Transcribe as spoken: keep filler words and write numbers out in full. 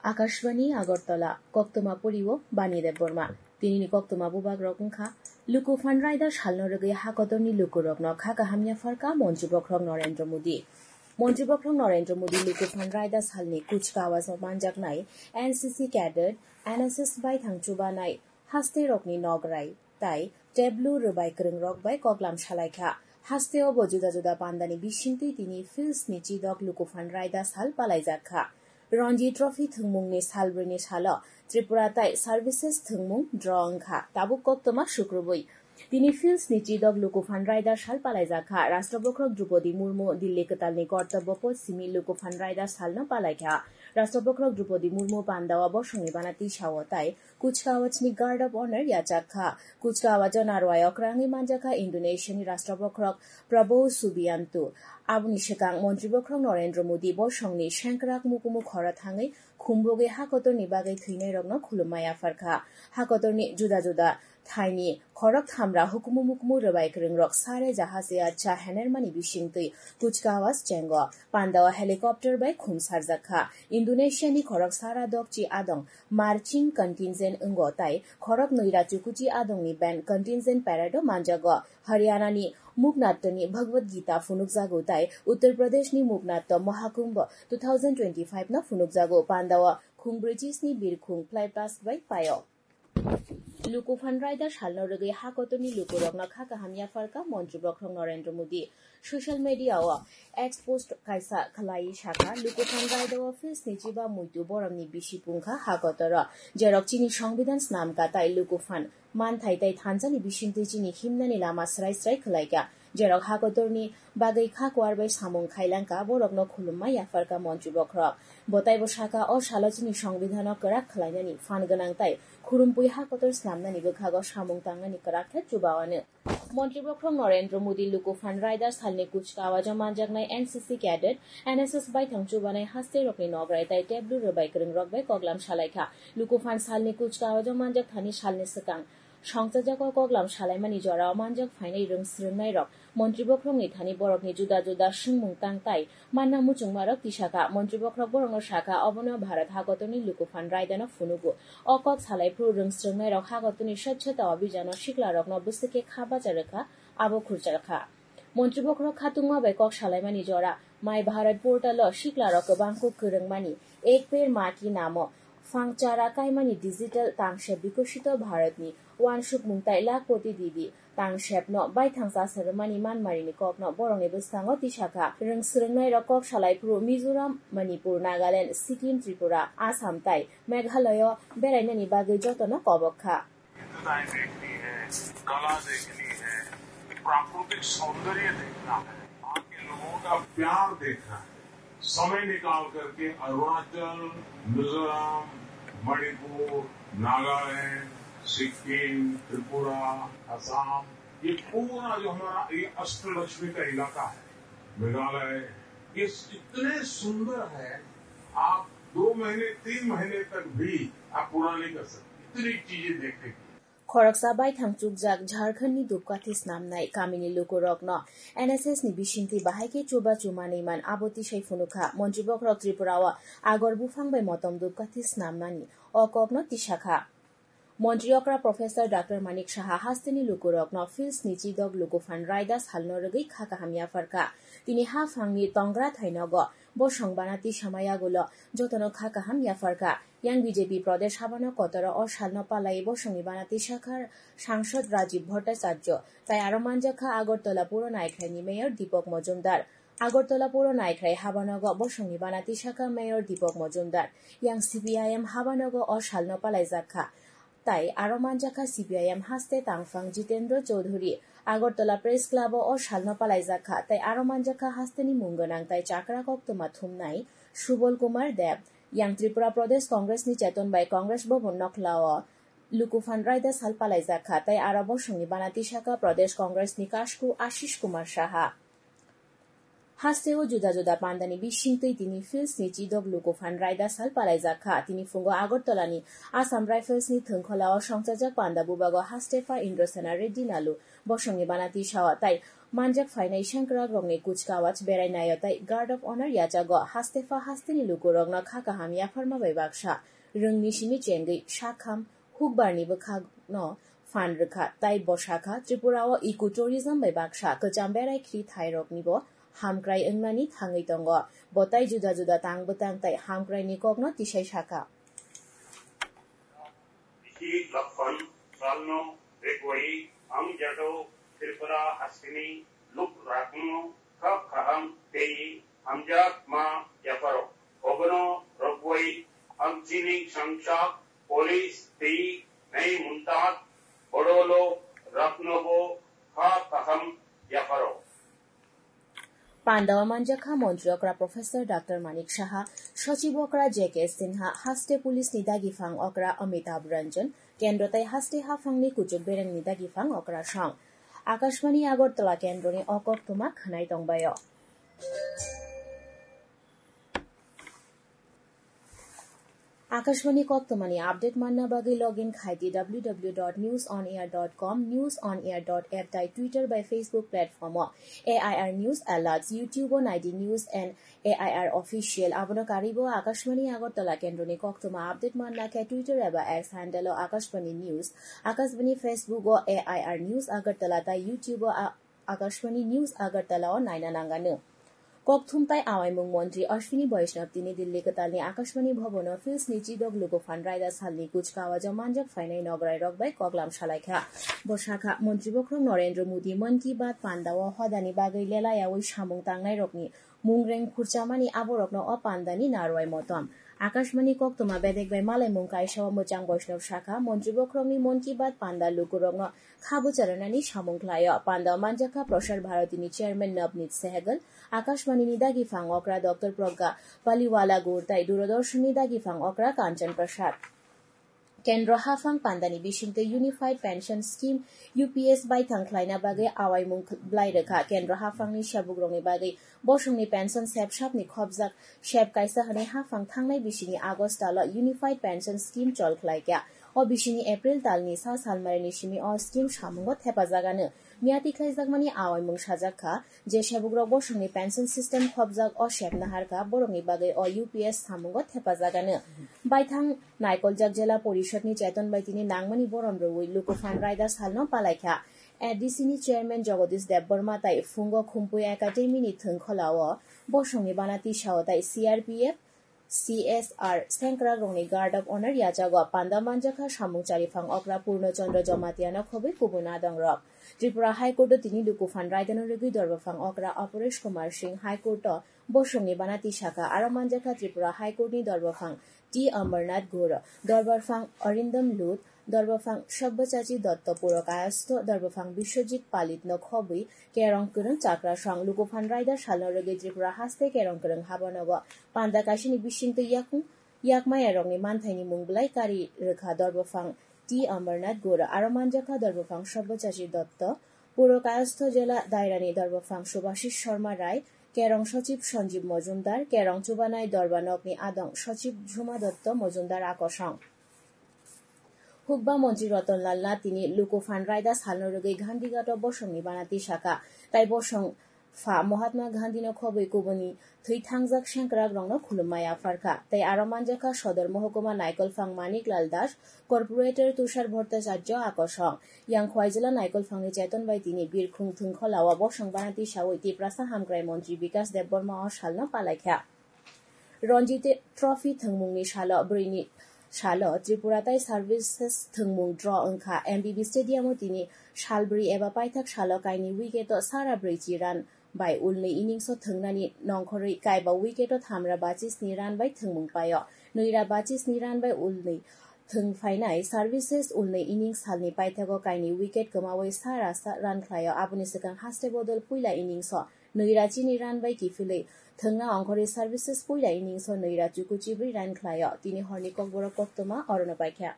Akashbani Agartala, koktwma poriwo Bani Debbarma. Tinini koktwma bubagrok wngkha: Luku Phan Raida salno rwgwi hakotorni lukurokno kha kaham yapharkha Montri Bokhorok Narendra Modi. Montri Bokhorok Narendra Modi Luku Phan Raida salni kuchkawajno manjaknai N C C cadet, N S S baithang chubanai hasterokni nograi tai tablu rwbai kwrwngrok bai koklam salaikha. Hasteo bo juda juda pandani bisingtwi tini fields ni chidok Luku Phan Raida sal palaijakkha. Ranji Trophy thwngmungni salbrwini salo Tripura tai services thwngmung draw wngkha, tabuk koktwma sukrubwi. Tini fields ni chidok Luku Phan Raida sal palaijakkha. Rashtra Bokhorok Droupadi Murmu Dilli kwtalni Kartobya Path simi Luku Phan Raida salno palaikha. Rashtra Bokhorok Droupadi Murmu pandao bosongni bana tisao tai Kuchkawajni Guard of Honor yachakha. Kuchkawajo narwai okrangwi manjakha Indonesiani Rashtra Bokhorok Prabowo Subianto. Aboni swkang Montri Bokhorok Narendra Modi bosongni sengkrak mukumu khoro thangwi khumbogwi hakotorni bagwi thwinairokno khulumma yapharkha. Hakotorni juda juda thaini khorok thamra hukumu mukumu rwbai kwrwngrok sare jahase acha henermani bisingtwi Kuchkawaj chengo. Pandao helicopter bai khum sarjakkha. Indonesiani khorok sara dokchi adong marching contingent wngo tai khorok nwi rachukuchi adongni band contingent parade o manjago. Haryanani Muknattoni Bhagavad Gita phunukjago tai Uttar Pradeshni Muknatto Mahakumbh two thousand twenty-five no phunukjago. Pandao khung brichisni birkhung fly past bai paio. Luku Phan Raida salno rwgwi hakotorni lukurokno kha kaham yapharkha Montri Bokhorok Narendra Modi. Social media o X post kaisa khlaiwi sakha, Luku Phan Raida o fields ni chiba muitu boromni bisi pungkha hakotoro, jerok chini Songbidan snamkha tai Luku Phan manthai tai thansa ni bisingtwi chini himnani lama srai srai khlaikha. Jerok hakotorni bagwi kha kuar bai samung khailangkha, borokno khulumma yapharkha Montri Bokhorok. Bo taibo sakha, o salo chini Songbidan o kwrak khlainani phan gwnang tai khurumpui hakotor snamnani bwkhago samung tangnani kwrak khe chubaono. Montri Bokhorok Narendra Modi Luku Phan Raida salni kuchkawajo manjaknai N C C cadet, N S S baithang chubanai hasterokni nograi tai tablu rwbai kwrwngrok bai koklam salaikha. Luku Phan salni kuchkawajo manjak thani salni swkang songchajak o koklam salaimani jorao manjak phainai rwng swrwngnairok Montri Bokhorokni thani borokni juda juda swngmung tang tai manna muchungmarok tisakha. Montri Bokhorok borokno sakha, obono Bharat hakotorni Luku Phan Raidano phunugo. O kok salai phuru rwng swrwngnairok hakotorni Swachhata Abhijano siklarokno bwswk khe kha bacha rwkha, abo khurjakha. Montri Bokhorok khatungma bai kok salaimani jora My Bharat portal o siklarok kwbangkuk kwrwngmani Ek Ped Maa Ki Naam o phang chara kaimani digital tangsep Bikosito Bharatni uansukmung tai Lakhpati Didi tangsepno baithang chasa rwmani manmarini kokno borokni bwskango tisakha. Rwng swrwngnairok kok salai phuru Mizoram, Manipur, Nagaland, Sikkim, Tripura, Assam tai Meghalaya o berainani bagwi jotono kobok kha. विविधताएं देखनी है, कला देखनी है, प्राकृतिक सौंदर्य देखना है, वहाँ के लोगों का प्यार देखना है। समय निकाल करके अरुणाचल, मिजोरम, मणिपुर, नागालैंड, सिक्किम, त्रिपुरा, असम, ये पूरा जो हमारा ये अष्टलक्ष्मी का इलाका है, मेघालय, ये इतने सुंदर है, आप दो महीने, तीन महीने तक भी आप पूरा नहीं कर सकते, इतनी चीजें देखने की। Khoroksa baithang chukjak Jharkhandni Dhupkathi snamnai kamini lukurokno N S S ni bisingtwi bahai khe chubachu manwi man abo tisai phunukha. Montri Bokhorok Tripura o agor buphang bai motom dhupkathi snamnani o kokno tisakha. Montri okra Professor Doctor Manik Saha hasteni lukurokno fields ni chidok Luku Phan Raida salno rwgwi kha kaham yapharkha. Tini haphangni tongra thainogo bosong bana tisamai yagulo jotono kha kaham yapharkha. Yang B J P Pradesh habano kotoro o salno palai bosongni bana tisakha Sangsad Rajiv Bhattacharya, tai aro manjakha Agartala Puro Naikhraini Mayor Deepak Majumdar. Agartala Puro Naikhrai habanogo bosongni bana tisakha Mayor Deepak Majumdar. Yang C P I M habanogo o salno palaijakha. Tai aro manjakha C P I M haste tangphang Jitendra Chaudhary. Agartala Press Club o o salno palaijakha. Tai aro manjakha hasteni mung gwnang tai chakra koktwma thumnai Subal Kumar Deb. Yang Tripura Pradesh Congress ni Cheton bai Congress Bhavan Nokla o Luku Phan Raida sal palaijakha. Tai aro bosongni bana tisakha Pradesh Congress ni Kasku Ashish Kumar Saha. Hasteo juda juda pandani bisingtwi tini fields ni chidok Luku Phan Raida sal palaijakha. Tini phungo Agartala ni Assam Rifles ni thwngkhola o songchajak panda bubago haste pha Indrasena Reddy Nalu bosongni bana tisao tai Manjak phainai sengkrakrokni kuchkawaj berai naio tei Guard of Honor yachago. Haste pha hasteni lukurokno kha kaham yapharma bai baksa rwngni simi chengwi sakham hukbarni bwkhakno phan rwkha, tei bo sakha, Tripura o eco tourism bai baksa kwcham berai khri thairoknibo hamkrai wngnani thangwi tongo. Bo tei juda juda tang bwtang tei hamkraini kokno tisai sakha. Bithi Lakhon Salno Begwai ang jado Tripura hasteni luk rakno kha kaham tei hamjak ma yaparo. Obono rogwai ang chini sangchak police tei nai muntat bodolo raknobo kha kaham yaparo. Panda o manjakha Montri okra Professor Doctor Manik Saha, Sochib okra J K Sinha, haste police ni dagifang okra Amitabh Ranjan, kendro tei haste haphangni kuchuk berengni dagifang okra song. Akashvani Agartala kendroni o koktwma khwnai tongbaio. Akashvani koktwmani update manna bagwi login khai di W W W dot news on air dot com, news on air dot app tei Twitter bai Facebook platform o A I R News Alerts, YouTube o nai di News and A I R Official. Abono karwibo Akashvani Agartala kendroni koktwma update manna khe Twitter eba X handle o Akashvani News, Akashvani Facebook o A I R News Agartala tei YouTube o a-, Akashvani News Agartala o naina nangano. Kokthum tai awaimung montri Ashwini Vaishnaw tini Delhi kwtalni Akashvani Bhavan o Fils ni chidok luku phan raida salni kuchkawajo manjak phainai nograi rok bai koklam salaikha. Bo sakha, Montri bokhorok Narendra Modi Mann Ki Baat panda o hodani bagwi lelayawi samung tangnai rokni mungreng khurchamani aborokno o pandani narwai motom. Akashvani koktwma bedek bai malaimung kaisa o mwchang Vaishnaw sakha, Montri bokhorokni Mann Ki Baat panda lukurokno kha bwcharnani samung khlaio. Panda o manjakha Prasar Bharati ni chairman Navneet Sehgal, Akashvani ni dagifang okra Doctor Pragya Paliwala Gur tei Doordarshan ni dagifang okra Kanchan Prasad. Kendro haphang pandani bisingtwi Unified Pension Scheme, U P S, baithang khlaina bagwi awaimung kh-, blai rwkha. Kendro haphangni sebukrokni bagwi bosongni pension sep sapni khopjak sep kaisa hwnwi haphang thangnai bisingni August talo Unified Pension Scheme chol khlaikha. O bisingni April talni sa salmarini simi o scheme samungo thepajagano. Miyati khlaijakmani awaimung sajak kha, je sebukrok bosongni pension system khopjak o sep naharkha, borokni bagwi o U P S samungo thepajagano. Baithang naikoljak Jela Porishadni cheton bai tini nangmani borom rwui luku phan raida salno palaikha. A D C ni chairman Jagadish Debbarma tai phungo Khumpui Academy ni thwngkholao bosongni bana tisao tai C R P F, C S R sengkrakrokni Guard of Honor yachago. Panda manjakha samung chariphang okra Purno Chandra Jamatia no khobwi kubun adongrok. Tripura High Court o tini luku phan raidano rwgwi dorbaphang okra Aparesh Kumar Singh High Court o bosongni bana tisakha. Aro manjakha Tripura High Court ni dorbaphang T Amarnath Gur, dorbarphang Arindam Lut, dorbaphang Sabyasachi Dotto Purokayastho, dorbaphang Biswajit Palit no khobwi Kerong kwrwng chakra song. Lukuphan raida salno rwgwi Tripura haste Kerong kwrwng habanogo panda kaisani bisingtwi yakung yakmayarokni manthaini mung bwlai kari rwkha dorbophang T Amarnath Gura, aro manjakha dorbophang Sabyasachi Dotto, Puro Kayastho Jela Dairani dorbophang Subhashish Sharma Rai, Kerong Sochib Sanjeev Mojumdar, Kerong chubanai dorba nokni adong Sochib Jhuma Dotto Mojumdar akosong. Hukba montri Ratan Lal Nath tini Lukuphan raida salno rwgwi Gandhighat o bosongni bana tisakha, tai bosong pha Mahatma Gandhi no khobwi kubuni thwi thangjak sengkrak rokno khulumma yapharkha, tei aro manjakha Sodor Mohokuma Naikolphang Manik Lal Das, Corporator Tushar Bhattacharya akosong. Yang Khwaijila Naikolphangni cheton bai tini Birkhung Thwngkholao bosong bana tisawi Tiprasa Hamkrai Montri Bikas Debbarma o salno palaikha. Ranji Trophy thwngmungni salo bwrwini salo Tripura tai Services thwngmung draw wngkha. M B B Stadium o tini salbrwi eba paithak salo kaini wicket o sara brwichi run bai ulni innings o thwngnani nongkhorwi kaiba wicket o thamra bachisni run bai thwngmung paio. Nwira bachisni run bai ulni thwng phainai Services ulni innings salni paithago kaini wicket kwmawi sara sa run khlaio. Aboni swkang haste bodol puila innings o Nwira chini run bai kiphilwi thwngna ongkhorwi Services puila innings o nwira chuku chibrwi run khlaio. Tini horni kokborok koktwma orono paikha.